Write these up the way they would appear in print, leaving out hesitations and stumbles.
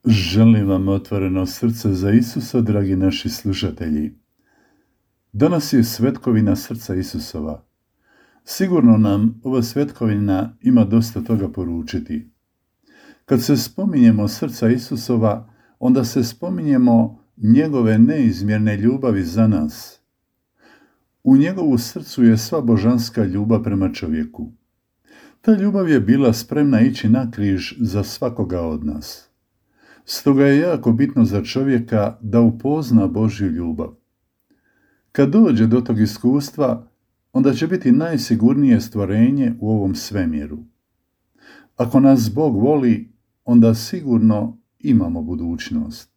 Želim vam otvoreno srce za Isusa, dragi naši slušatelji. Danas je svetkovina srca Isusova. Sigurno nam ova svetkovina ima dosta toga poručiti. Kad se spominjemo srca Isusova, onda se spominjemo njegove neizmjerne ljubavi za nas. U njegovu srcu je sva božanska ljubav prema čovjeku. Ta ljubav je bila spremna ići na križ za svakoga od nas. Stoga je jako bitno za čovjeka da upozna Božju ljubav. Kad dođe do tog iskustva, onda će biti najsigurnije stvorenje u ovom svemiru. Ako nas Bog voli, onda sigurno imamo budućnost.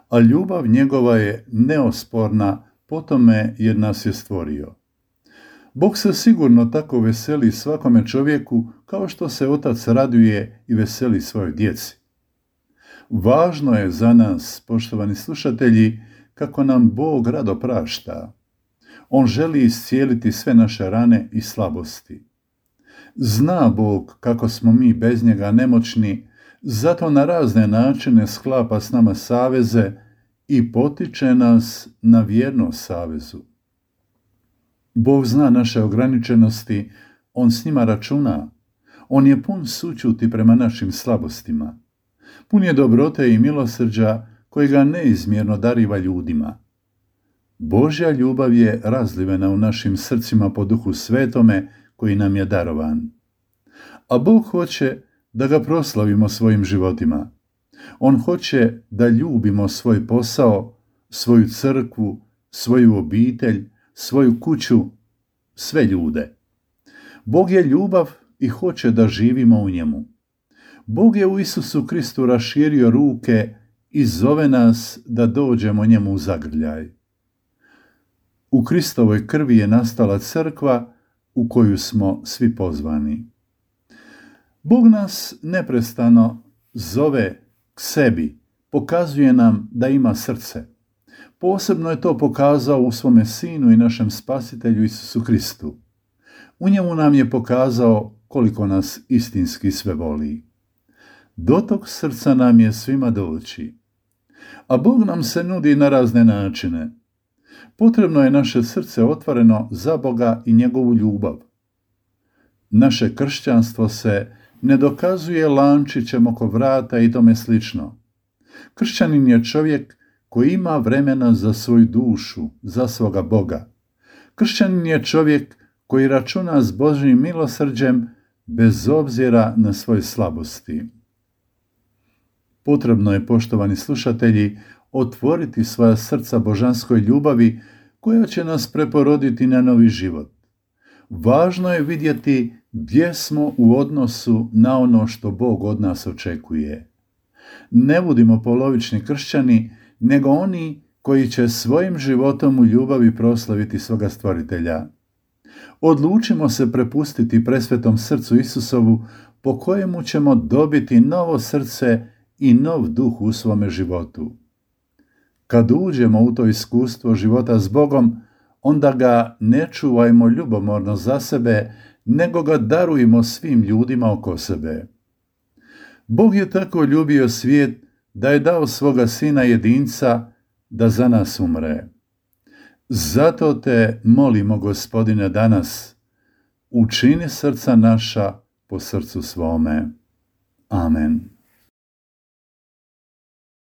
A ljubav njegova je neosporna po tome jer nas je stvorio. Bog se sigurno tako veseli svakome čovjeku kao što se otac raduje i veseli svojoj djeci. Važno je za nas, poštovani slušatelji, kako nam Bog rado prašta. On želi iscijeliti sve naše rane i slabosti. Zna Bog kako smo mi bez njega nemoćni, zato na razne načine sklapa s nama saveze i potiče nas na vjernost savezu. Bog zna naše ograničenosti, on s njima računa. On je pun sućuti prema našim slabostima. Pun je dobrote i milosrđa koji ga neizmjerno dariva ljudima. Božja ljubav je razlivena u našim srcima po Duhu Svetome koji nam je darovan. A Bog hoće da ga proslavimo svojim životima. On hoće da ljubimo svoj posao, svoju crkvu, svoju obitelj, svoju kuću, sve ljude. Bog je ljubav i hoće da živimo u njemu. Bog je u Isusu Kristu raširio ruke i zove nas da dođemo njemu u zagrljaj. U Kristovoj krvi je nastala crkva u koju smo svi pozvani. Bog nas neprestano zove k sebi, pokazuje nam da ima srce. Posebno je to pokazao u svome Sinu i našem Spasitelju Isusu Kristu. U njemu nam je pokazao koliko nas istinski sve voli. Do tog srca nam je svima doći. A Bog nam se nudi na razne načine. Potrebno je naše srce otvoreno za Boga i njegovu ljubav. Naše kršćanstvo se ne dokazuje lančićem oko vrata i tome slično. Kršćanin je čovjek koji ima vremena za svoju dušu, za svoga Boga. Kršćanin je čovjek koji računa s Božjim milosrđem bez obzira na svoje slabosti. Potrebno je, poštovani slušatelji, otvoriti svoja srca božanskoj ljubavi koja će nas preporoditi na novi život. Važno je vidjeti gdje smo u odnosu na ono što Bog od nas očekuje. Ne budimo polovični kršćani, nego oni koji će svojim životom u ljubavi proslaviti svoga Stvoritelja. Odlučimo se prepustiti presvetom srcu Isusovu, po kojemu ćemo dobiti novo srce i nov duh u svome životu. Kad uđemo u to iskustvo života s Bogom, onda ga ne čuvajmo ljubomorno za sebe, nego ga darujmo svim ljudima oko sebe. Bog je tako ljubio svijet da je dao svoga Sina jedinca da za nas umre. Zato te molimo, Gospodine, danas, učini srca naša po srcu svome. Amen.